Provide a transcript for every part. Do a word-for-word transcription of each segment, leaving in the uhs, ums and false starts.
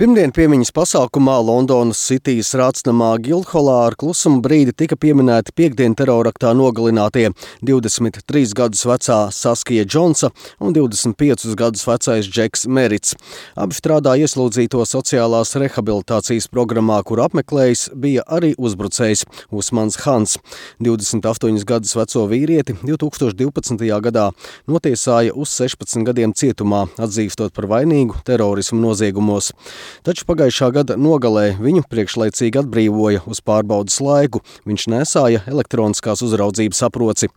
Pirmdien piemiņas pasākumā Londonas Citijas rātsnamā Guildhallā ar klusuma brīdi tika pieminēti piekdien teroraktā nogalinātie divdesmit trīs gadus vecā Saskija Džonsa un divdesmit piecus gadus vecais Džeks Merits. Abi strādā ieslodzīto sociālās rehabilitācijas programmā, kur apmeklējis bija arī uzbrucējs Usmans Hans. divdesmit astoņus gadus veco vīrieti divtūkstoš divpadsmitajā gadā notiesāja uz sešpadsmit gadiem cietumā, atzīstot par vainīgu terorismu noziegumos. Taču pagājušā gada nogalē viņu priekšlaicīgi atbrīvoja uz pārbaudas laiku. Viņš nesāja elektroniskās uzraudzības aproci.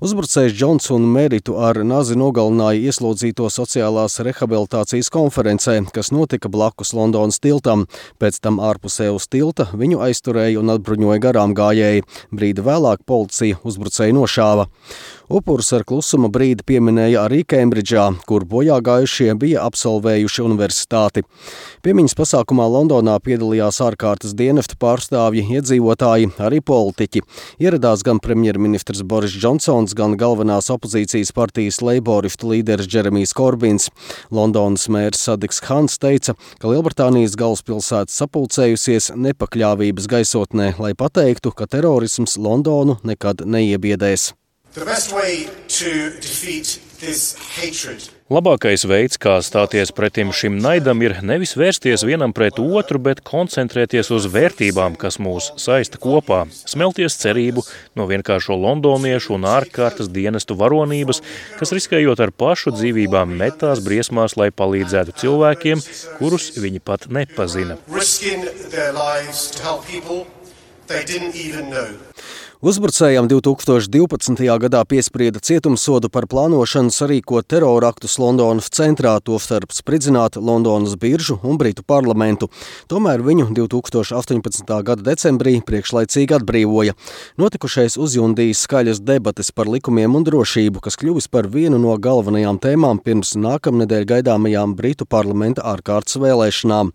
Uzbrucējs Džons un Meritu ar nazi nogalināja ieslodzīto sociālās rehabilitācijas konferencē, kas notika blakus Londonas tiltam. Pēc tam ārpusē uz tilta viņu aizturēja un atbruņoja garām gājēji. Brīdi vēlāk policija uzbrucēju nošāva. Upurus ar klusuma brīdi pieminēja arī Kembridžā, kur bojā gājušie bija absolvējuši universitāti. Piemiņas pasākumā Londonā piedalījās ārkārtas dienesta pārstāvji, iedzīvotāji, arī politiķi. Ieradās gan premjerministrs Boris Džonsons, gan galvenās opozīcijas partijas leiboristu līderis Džeremijs Korbins. Londonas mērs Sadiks Khans teica, ka Lielbritānijas galvaspilsēta sapulcējusies nepakļāvības gaisotnē, lai pateiktu, ka terorisms Londonu nekad neiebiedēs. Labākais veids, kā stāties pretim šim naidam, ir nevis vērsties vienam pret otru, bet koncentrēties uz vērtībām, kas mūs saista kopā, smelties cerību no vienkāršo londoniešu un ārkārtas dienestu varonības, kas riskējot ar pašu dzīvībām metās briesmās, lai palīdzētu cilvēkiem, kurus viņi pat nepazina. Uzbrucējam divtūkstoš divpadsmitajā gadā piesprieda cietumsodu par plānošanu sarīkot teroraktus Londonas centrā, tostarp spridzināt Londonas biržu un Britu parlamentu. Tomēr viņu divtūkstoš astoņpadsmitā gada decembrī priekšlaicīgi atbrīvoja. Notikušais uzjundījis skaļas debates par likumiem un drošību, kas kļuvis par vienu no galvenajām tēmām pirms nākamnedēļ gaidāmajām Britu parlamenta ārkārtas vēlēšanām.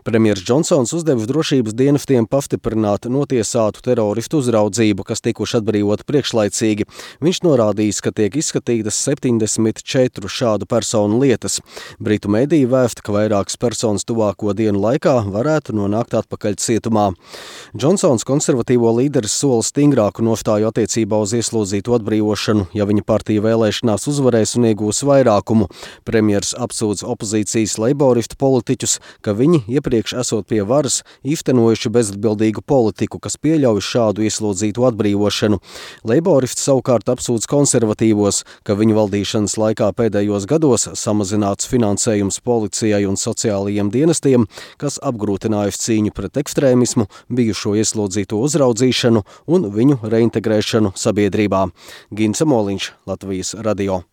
Premjers Džonsons uzdevis drošības dienestiem pastiprināt notiesātu teroristu uzraudzību, kas tikuši atbrīvoti priekšlaicīgi. Viņš norādījis, ka tiek izskatītas septiņdesmit četru šādu personu lietas. Britu mediji vēsta, ka vairākas personas tuvāko dienu laikā varētu nonākt atpakaļ cietumā. Džonsons konservatīvo līderis sola stingrāku nostāju attiecībā uz ieslodzītu atbrīvošanu, ja viņa partija vēlēšanās uzvarēs un iegūs vairākumu. Premjers apsūdz opozīcijas leiboristu politiķus, ka viņi iepriekš esot pie varas īstenojuši bezatbildīgu politiku, kas pieļauj šādu ieslodzītu atbrīvošanu. Atbrīvošanu. Leiboristi savukārt apsūdz konservatīvos, ka viņu valdīšanas laikā pēdējos gados samazināts finansējums policijai un sociālajiem dienestiem, kas apgrūtinājusi cīņu pret ekstrēmismu, bijušo ieslodzīto uzraudzīšanu un viņu reintegrēšanu sabiedrībā. Gints Moliņš, Latvijas radio.